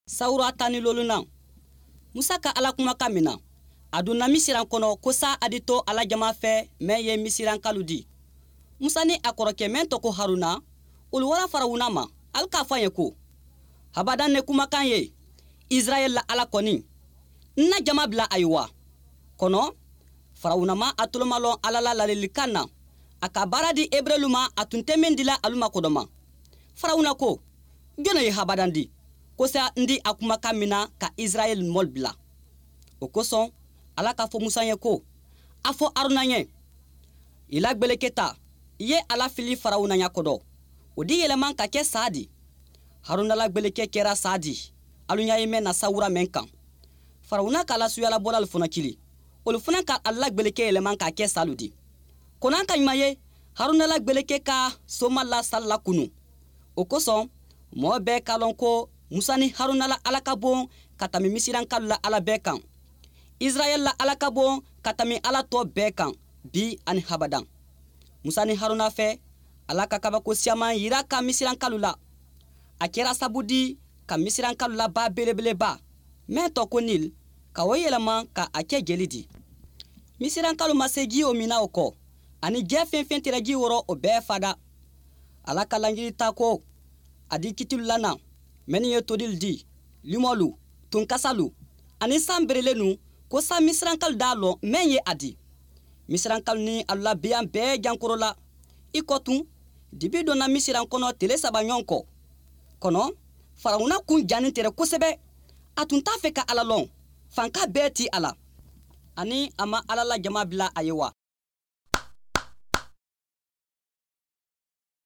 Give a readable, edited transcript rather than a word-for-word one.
Sawura 15nan, Musa ka Ala kumakan mina. A donna Misiran kɔnɔ ko sa a di to a la jama fɛ mɛn ye Misirankalu di. Musa ni a kɔrɔkɛ mɛn tɔ ko Haruna, olu wara Farawuna ma, alu k'a fɔ a ye ko: Habadan ne kumakan ye, Israɛl la Ala kɔni, n na jama bila a ye wa? Kɔnɔ Farawuna ma a tolomalɔn Ala la lalilikan na. A ka baara di Ebrelu ma, a tun tɛ min dila alu ma kɔdɔman. Farawuna ko: Jɔn ye habadan di ko sa n di a kumakan mina ka Israɛl mɔli bila? O kosɔn Ala k'a fɔ Musa ye ko: A fɔ Aruna ye, i la gbeleke ta, i ye a lafili Farawuna ɲa kɔdɔ, o di yɛlɛman ka kɛ saa di. Haruna la gbeleke kɛra saa di, alu ɲa ye mɛn na sawura mɛn kan. Farawuna k'a la suyalabɔlalu fana kili, olu fana ka alu la gbeleke yɛlɛman k'a kɛ salu di. Kɔnɔ an ka ɲuman ye Haruna la gbeleke ka soma la sal lakunu. O kosɔn mɔɔ bɛɛ k'a lɔn ko Musa ni Haruna la Ala ka bon ka tami Misirankalu la Ala bɛɛ kan, Israɛl la Ala ka bon ka tami Ala tɔ bɛɛ kan, bi ani habadan. Musa ni Haruna fɛ, Ala ka kabako siyaman yira ka Misirankalu la. A kɛra sabu di ka Misirankalu la ba belebeleba mɛn tɔ ko Nil, ka o yɛlɛma ka a kɛ jeli di. Misirankalu ma se ji o mina o kɔ, ani jɛ fɛn fɛn tɛrɛ ji wɔrɔ, o bɛɛ fada. Ala ka lanjili ta ko a di kitilu lana mɛnnu ye todili di, limɔlu, tonkasalu ani san berelenu, ko sa Misirankalu d'a lɔn mɛn ye a di. Misirankalu ni alu la biyan bɛɛ jankorola. I kɔ tun, dibi donna Misiran kɔnɔ tele 3 ɲɔgɔn kɔ. Kɔnɔ Farawuna kun janin tɛrɛ kosɛbɛ. A tun t'a fɛ ka Ala lɔn, fanka bɛɛ ti a la, ani a ma Ala la jama bila a ye wa.